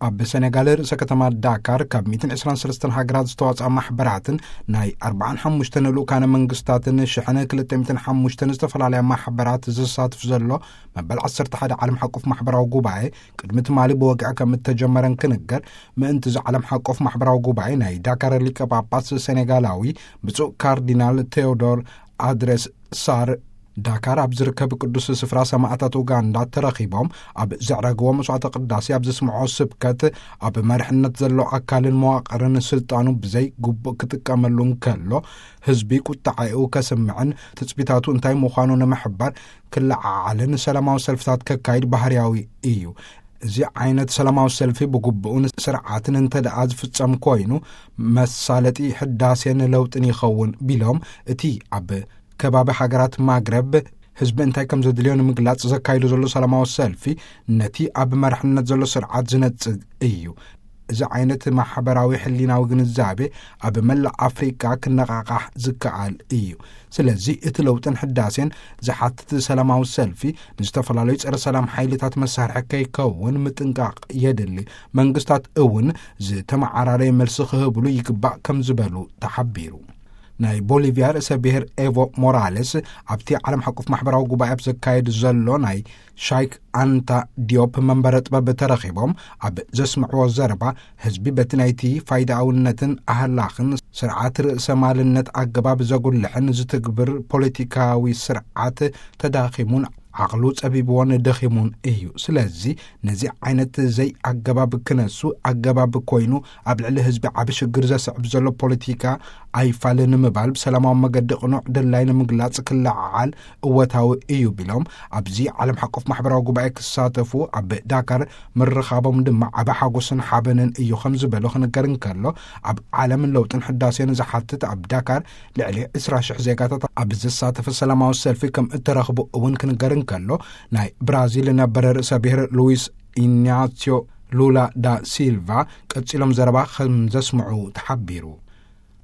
ኣብ ሰኔጋል ርእሰ ከተማ ዳካር ካብ ሚእትን ዕስራን ሰለስተን ሃገራት ዝተዋጽኣ ማሕበራትን ናይ ኣርባዓን ሓሙሽተን ልኡካነ መንግስታትን ሽሕን ክልተ ሚእትን ሓሙሽተን ዝተፈላለያ ማሕበራት ዝሳትፍ ዘሎ መበል ዓሰርተ ሓደ ዓለም ሓቆፍ ማሕበራዊ ጉባኤ ቅድሚ ትማሊ ብወግዒ ከም እተጀመረን ክንገር፣ ምእንቲ እዚ ዓለም ሓቆፍ ማሕበራዊ ጉባኤ ናይ ዳካር ሊቀ ጳጳስ ሰኔጋላዊ ብፁዕ ካርዲናል ቴዎዶር ኣድሬስ ሳር ዳካር ኣብ ዝርከብ ቅዱስ ስፍራ ሰማዕታት ኡጋንዳ ተረኺቦም ኣብ ዘዕረግዎ መስዋዕተ ቅዳሴ ኣብ ዘስምዖ ስብከት፣ ኣብ መርሕነት ዘሎ ኣካልን መዋቕርን ስልጣኑ ብዘይ ግቡእ ክጥቀመሉ እንከሎ፣ ህዝቢ ቁጣዓኡ ከስምዕን ትጽቢታቱ እንታይ ምዃኑ ንምሕባር ክለዓዓልን ሰላማዊ ሰልፍታት ከካይድ ባህርያዊ እዩ። እዚ ዓይነት ሰላማዊ ሰልፊ ብግቡእን ስርዓትን እንተ ደኣ ዝፍጸም ኮይኑ፣ መሳለጢ ሕዳሴን ለውጥን ይኸውን ቢሎም፣ እቲ ኣብ ከባቢ ሃገራት ማግረብ ህዝቢ እንታይ ከም ዘድልዮ ንምግላጽ ዘካይዶ ዘሎ ሰላማዊ ሰልፊ፣ ነቲ ኣብ መርሕነት ዘሎ ስርዓት ዝነጽግ እዩ። እዚ ዓይነት ማሕበራዊ ሕሊናዊ ግንዛቤ ኣብ መላእ ኣፍሪቃ ክነቓቓሕ ዝከኣል እዩ። ስለዚ እቲ ለውጥን ሕዳሴን ዝሓትት ሰላማዊ ሰልፊ፣ ንዝተፈላለዩ ጸረ ሰላም ሓይልታት መሳርሒ ከይከውን ምጥንቃቕ የድሊ። መንግስታት እውን ዝተመዓራረየ መልሲ ክህብሉ ይግባእ ከም ዝበሉ ተሓቢሩ። ናይ ቦሊቪያ ርእሰ ብሔር ኤቮ ሞራሌስ ኣብቲ ዓለም ሓቆፍ ማሕበራዊ ጉባኤ ኣብ ዘካየድ ዘሎ ናይ ሻይክ ኣንታ ዲዮፕ መንበረ ጥበብ ተረኺቦም ኣብ ዘስምዕዎ ዘረባ፣ ህዝቢ በቲ ናይቲ ፋይዳኣውነትን ኣህላኽን ስርዓት ርእሰ ማልነት ኣገባብ ዘጉልሕን ዝትግብር ፖለቲካዊ ስርዓት ተዳኺሙን ዓቕሉ ጸቢብዎን ደኺሙን እዩ። ስለዚ ነዚ ዓይነት ዘይኣገባብ ክነሱ ኣገባብ ኮይኑ ኣብ ልዕሊ ህዝቢ ዓቢ ሽግር ዘስዕብ ዘሎ ፖለቲካ ኣይፋልን ንምባል ብሰላማዊ መገዲ ቅኑዕ ድላይ ንምግላጽ ክለዓዓል እወታዊ እዩ ቢሎም፣ ኣብዚ ዓለም ሓቆፍ ማሕበራዊ ጉባኤ ክሳተፉ ኣብ ዳካር ምርኻቦም ድማ ዓቢ ሓጎስን ሓበንን እዩ ከም ዝበሉ ክንገር እንከሎ፣ ኣብ ዓለም ለውጥን ሕዳሴን ዝሓትት ኣብ ዳካር ልዕሊ ዕስራ ሽሕ ዜጋታት ኣብ ዝሳተፈ ሰላማዊ ሰልፊ ከም እተረኽቡ እውን ክንገር እንከሎ፣ ናይ ብራዚል ነበረ ርእሰ ብሔር ሉዊስ ኢናሲዮ ሉላ ዳ ሲልቫ ቀጺሎም ዘረባ ከም ዘስምዑ ተሓቢሩ።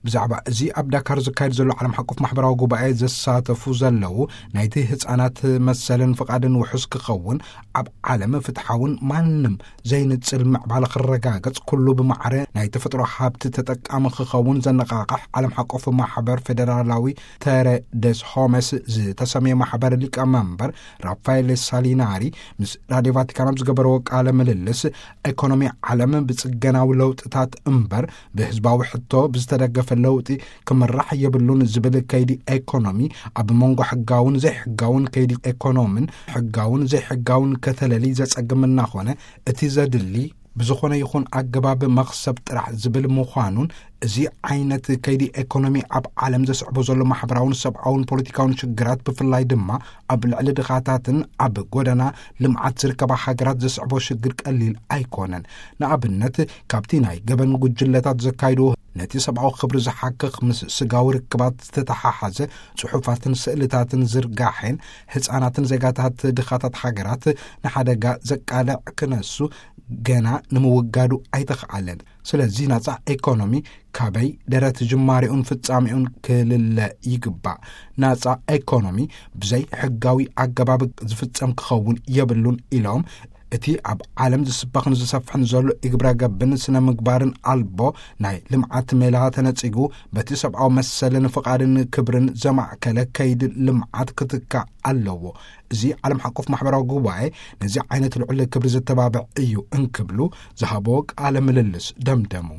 ብዛዕባ እዚ ኣብ ዳካር ዝካየድ ዘሎ ዓለም ሓቆፍ ማሕበራዊ ጉባኤ ዘሳተፉ ዘለዉ፣ ናይቲ ህጻናት መሰልን ፍቓድን ውሑስ ክኸውን፣ ኣብ ዓለም ፍትሓውን ማንም ዘይንጽል ምዕባለ ክረጋገጽ፣ ኩሉ ብማዕረ ናይ ተፈጥሮ ሃብቲ ተጠቃሚ ክኸውን ዘነቓቕሕ ዓለም ሓቆፍ ማሕበር ፌደራላዊ ተረ ደስ ሆመስ ዝተሰምየ ማሕበር ሊቀመንበር ራፋኤል ሳሊናሪ ምስ ራድዮ ቫቲካን ኣብ ዝገበርዎ ቃለ ምልልስ፣ ኤኮኖሚ ዓለም ብጽገናዊ ለውጥታት እምበር ብህዝባዊ ሕቶ ብዝተደገፈ ለውጢ ክምራሕ የብሉን ዝብል ከይዲ ኤኮኖሚ፣ ኣብ መንጎ ሕጋውን ዘይሕጋውን ከይዲ ኤኮኖምን ሕጋውን ዘይሕጋውን ከተለሊ ዘጸግም እናኾነ፣ እቲ ዘድሊ ብዝኾነ ይኹን ኣገባብ መኽሰብ ጥራሕ ዝብል ምዃኑን፣ እዚ ዓይነት ከይዲ ኤኮኖሚ ኣብ ዓለም ዘስዕቦ ዘሎ ማሕበራውን ሰብኣውን ፖለቲካውን ሽግራት፣ ብፍላይ ድማ ኣብ ልዕሊ ድኻታትን ኣብ ጎደና ልምዓት ዝርከባ ሃገራት ዘስዕቦ ሽግር ቀሊል ኣይኮነን። ንኣብነት፣ ካብቲ ናይ ገበን ጉጅለታት ዘካይድዎ ነቲ ሰብኣዊ ክብሪ ዝሓክኽ፣ ምስ ስጋዊ ርክባት ዝተተሓሓዘ ጽሑፋትን ስእልታትን ዝርጋሐን፣ ህጻናትን ዜጋታት ድኻታት ሃገራት ንሓደጋ ዘቃልዕ ክነሱ፣ ገና ንምውጋዱ ኣይተኽኣለን። ስለዚ ናጻ ኤኮኖሚ ካበይ ደረት ጅማሬኡን ፍጻሜኡን ክልለ ይግባእ። ናጻ ኤኮኖሚ ብዘይ ሕጋዊ ኣገባብ ዝፍጸም ክኸውን የብሉን ኢሎም፣ እቲ ኣብ ዓለም ዝስበኽን ዝሰፍሕን ዘሎ ኢግብረ ገብን ስነ ምግባርን ኣልቦ ናይ ልምዓት ሜላ ተነጺጉ፣ በቲ ሰብኣዊ መሰልን ፍቓድን ክብርን ዘማእከለ ከይዲ ልምዓት ክትካእ ኣለዎ። እዚ ዓለም ሓቆፍ ማሕበራዊ ጉባኤ ነዚ ዓይነት ልዑል ክብሪ ዘተባብዕ እዩ እንክብሉ ዝሃቦ ቃለ ምልልስ ደምደሙ።